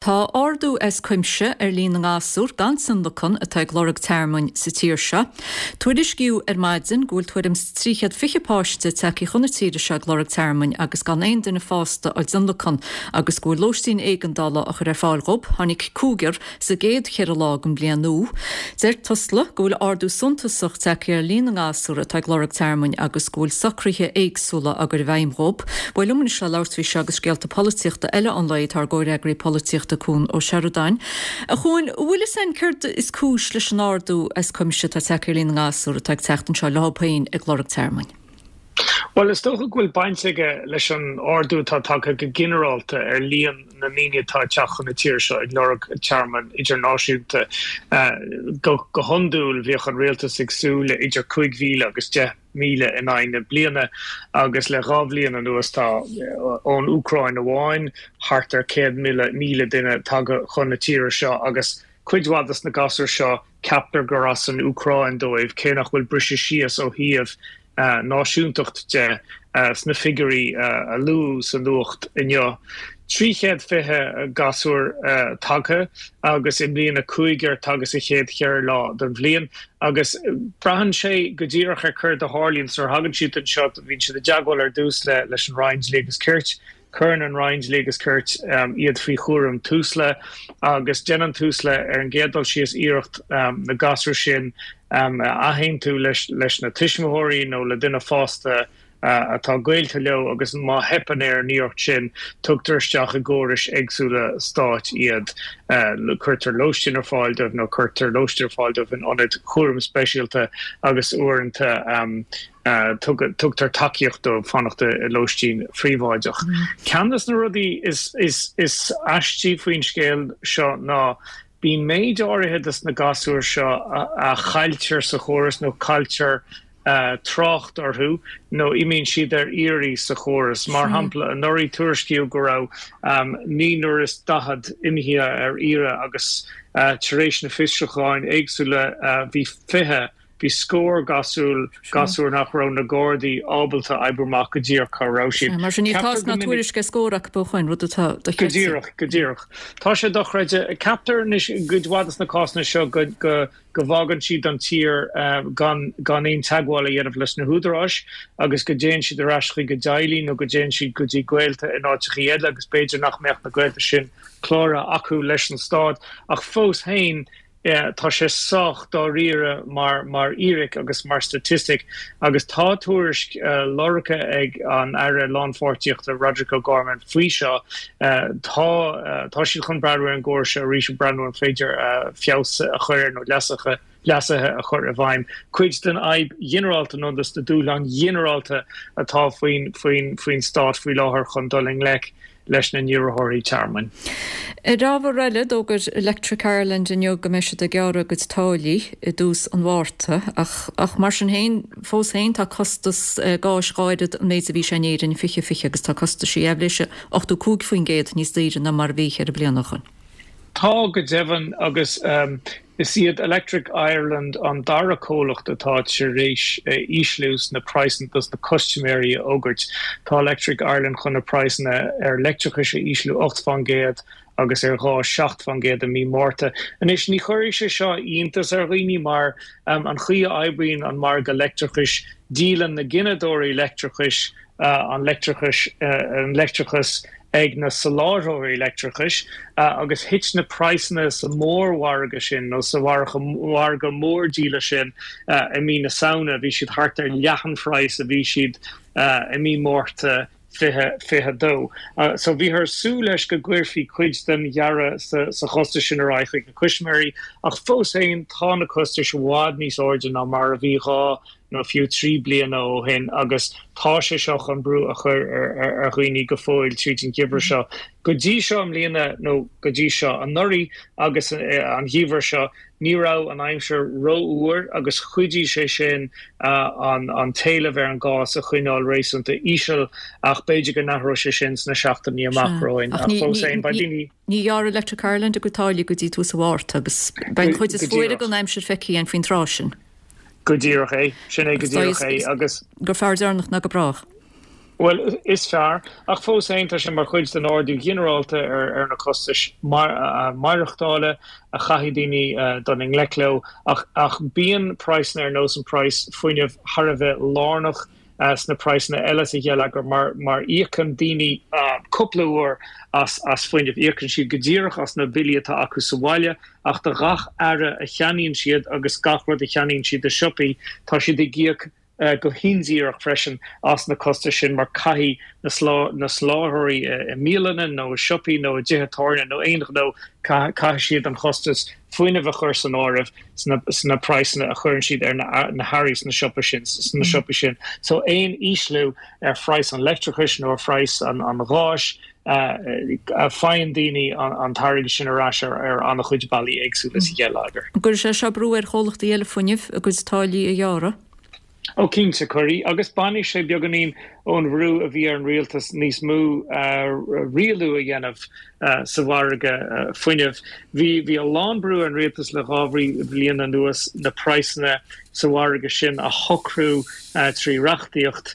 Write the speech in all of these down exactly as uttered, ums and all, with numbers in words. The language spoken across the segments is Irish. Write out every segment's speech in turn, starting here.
Tá ardú as cuimse ar líon na ngasúr gan tionlacan atá ag lorg tearmainn sa tír seo. Tuairiscíodh ar maidin go bhfuil tuairim is trí chéad fiche páiste tagtha chun na tíre seo ag lorg tearmainn agus gan aon duine fásta á dtionlacan agus go bhfuil lóistín éigeandála á chur ar fáil dhóibh. Tháinig cúigear sa gcéad cheithre lá den bhliain nua. Deir Tusla go bhfuil ardú suntasach tagtha ar líon na ngasúr atá ag lorg tearmainn agus go bhfuil socruithe éagsúla á gcur i bhfeidhm dhóibh. Bhuel liom anois le labhairt faoi seo agus scéalta polaitíochta eile an lae tá ár gcomhfhreagraí polaitíochta Cuan Ó Seireadáin. A Chuain, bhfuil fhios a'inn céard is cúis leis an ardú as cuimse atá tagtha ar líon na ngasúr atá ag teacht anseo leo féin ag lorg tearmainn? Bhuel, is dócha go bhfuil baint aige leis an ardú atá tagtha go ginearálta ar líon na ndaoine atá ag teacht chun na tíre seo ag lorg tearmann idirnáisiúnta. Go hiondúil, bhíodh an rialtas ag súil le idir cúig mhíle agus deich míle in aghaidh na bliana agus le dhá bhliain anuas tá, ón Úcráin amháin, thart ar céad míle duine tagtha chun na tíre seo agus cuid mhaith des na gasúir seo ceaptar gur as an Úcráin dóibh, cé nach bhfuil briseadh síos ó thaobh náisiúntacht de sna figiúirí a luadh sa nuacht inniu. trí chéad fiche gasúr tagtha agus i mbliana cúigear tagtha sa chéad cheithre lá den bhliain agus braitheann sé go díreach ar céard a tharlaíonn. Nuair a thagann siad anseo bíonn siad i dteagmháil ar dtús leis an Roinn Dlí agus Cirt. Cuireann an Roinn Dlí agus Cirt iad faoi chúram Tusla agus déanann Tusla ar an gcéad dul síos iarracht na gasúir sin a athaontú leis na tuismitheoirí nó le duine fásta atá gaolta leo agus má theipeann ar an iarracht sin tugtar isteach i gcórais éagsúla stáit iad. Cuirtear lóistín ar fáil dóibh nó cuirtear lóistín ar fáil dóibh in ionaid chúraim speisialta agus uaireanta tugtar tacaíocht dóibh fanacht i lóistín phríobháideach. Ceann de na rudaí is aistí faoin scéal seo ná bíonn méid áirithe de na gasúir seo a chailltear sa chóras nó cailltear trácht orthu nó imíonn siad ar iarraidh sa chóras. Mar shampla, anuraidh tuairiscíodh go raibh naonúr is daichead imithe ar iarraidh agus tar éis na fiosrúcháin éagsúla bhí fiche, bhí scór gasúr, gasúr nach raibh na Gardaí ábalta oibriú amach go díreach cá raibh siad. Mar sin níl tásc ná tuairisc ar scór acu a Chuain, rud atá dochreidte. Go díreach, go díreach. Tá sé dochreidte. Ceaptar anois i gcuid mhaith de na cásanna seo go, go, go bhfágann siad an tír gan gan aon teagmháil a dhéanamh leis na húdaráis agus go dtéann siad ar ais chuig a dteaghlaigh nó go dtéann siad go dtí gaolta in áiteachaí eile agus b'fhéidir nach mbeadh na gaolta sin cláraithe acu leis an stát ach fós féin tá sé sách dáiríre mar mar fhíric agus mar staitistic agus tá tuairisc lorgtha ag an Aire Lánpháirtíochta Roderic O'Gorman faoi seo. Tá tá siad chun breathnú ar an gcóras seo arís, breathnú an féidir feabhas a chur air nó leasuithe leasuithe a chur i bhfeidhm. Cuid den fhadhb ghinearálta nó de na dúshláin ghinearálta atá faoin faoin faoin stát faoi láthair chun dul i ngleic leis na n-iarrthóirí tearmainn. Ar ábhar eile, d'fhógair Electric Ireland inniu go mbeidh siad ag gearradh a gcuid táillí i dtús an Mhárta ach ach mar sin féin, fós féin tá costas gáis dhá oiread an méid a bhí sé in Éirinn i fiche fiche agus tá costaisí aibhléise ochtó cúig faoin gcéad níos daoire ná mar a bhí ceithre bliana ó shoin. Tá, go deimhin, agus is iad Electric Ireland an dara comhlacht atá tar éis ísliú sna praghsanna dos na custaiméirí a fhógairt. Tá Electric Ireland chun na praghsanna ar leictreachais a ísliú ocht faoin gcéad agus ar ghás seacht faoin gcéad i mí Márta. Anois, ní chuirfidh sé seo iontas ar dhaoine mar an chaoi a oibríonn an margadh leictreachais, díolann na gineadóirí leictreachais an leictreachais an leictreachas ag na soláthróirí leictreachais agus thit na praghsanna sa mhórmhargadh sin nó sa mhargadh mórdhíola sin i mí na Samhna, bhí siad thart ar leath an phraghas a bhí siad i mí Márta fiche fiche dó. So bhíothar ag súil leis go gcuirfí cuid den ghearradh sa chostas sin ar aghaidh chuig na custaiméirí ach fós féin tá na costais i bhfad níos airde ná mar a bhí dhá nó fiú trí bliana ó shin agus tá sé seo chun brú a chur ar dhaoine go fóill tríd an gheimhreadh seo. Go dtí seo i mbliana, nó go dtí seo anuraidh agus an geimhreadh seo, ní raibh an aimsir rófhuar agus chuidigh sé sin an t-éileamh ar an gás a choinneáil réasúnta íseal ach b'fhéidir go n-athróidh sé sin sna seachtainí amach romhainn ach fós féin beidh daoine Ní ghearrfaidh Electric Ireland a gcuid táillí go dtí tús an Mhárta agus beidh an chuid is fuaire den aimsir feicthe againn faoin tráth sin. Go díreach é. Sin é go díreach é agus. Gur fearr deireanach ná go brách. Bhuel, is fearr, ach fós féin tá sé mar chuid den ardú ginearálta ar ar na costais maireachtála a chaithfidh daoine dul i ngleic leo, ach ach bíonn praghsanna ar nós an praghas fuinnimh thar a bheith lárnach sna praghsanna eile sa gheilleagar mar mar íocann daoine cúpla uair as as fuinneamh. Íocann siad go díreach as na billí atá acu sa bhaile, ach do ghach earra a cheannaíonn siad agus gach rud a cheannaíonn siad i siopaí, tá siad ag íoc go hindíreach freisin as na costais sin mar caithfidh na soláthróirí i mbialanna nó i siopaí nó i dtithe tábhairne nó aon ghnó, caithfidh siad an chostas fuinnimh a chur san áireamh sna praghsanna a chuireann siad ar na hearraí sna siopaí sin sna siopaí sin. So aon ísliú ar phraghas an leictreachais nó ar phraghas an gháis, faigheann daoine an t-airgead sin ar ais ar an-chuid bealaí éagsúla sa gheilleagar. An gcuirfidh sé seo brú ar chomhlachtaí eile fuinnimh a gcuid táillí a ghearradh? Ó cinnte, cuirfidh, agus bainfidh sé beagáinín ón bhrú a bhí ar an rialtas níos mó rialú a dhéanamh sa mhargadh fuinnimh. Bhí bhí a lán brú ar an rialtas le dhá bhliain anuas na praghsanna sa mhargadh sin a shocrú trí reachtaíocht.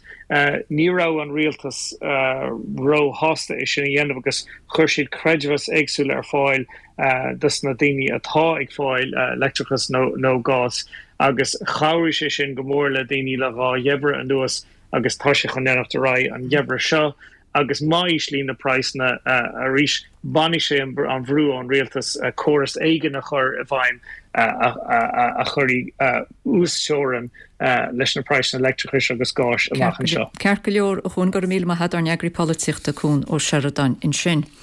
Ní raibh an rialtas róshásta é sin a dhéanamh agus chuir siad creidmheas éagsúla ar fáil dos na daoine atá ag fáil leictreachas nó gás agus chabhraigh sé sin go mór le daoine le dhá gheimhreadh anuas agus tá sé chun leanacht ar aghaidh an geimhreadh seo agus má íslíonn na praghsanna arís bainfidh sé an bhrú ón rialtas córas éigin a chur i bhfeidhm a chuirfidh uasteorainn leis na praghsanna leictreachais agus gáis amach anseo. Ceart go leor, a Chuain, go raibh míle maith agat, ár n-eagraí polaitíochta Cuan Ó Seireadáin ansin.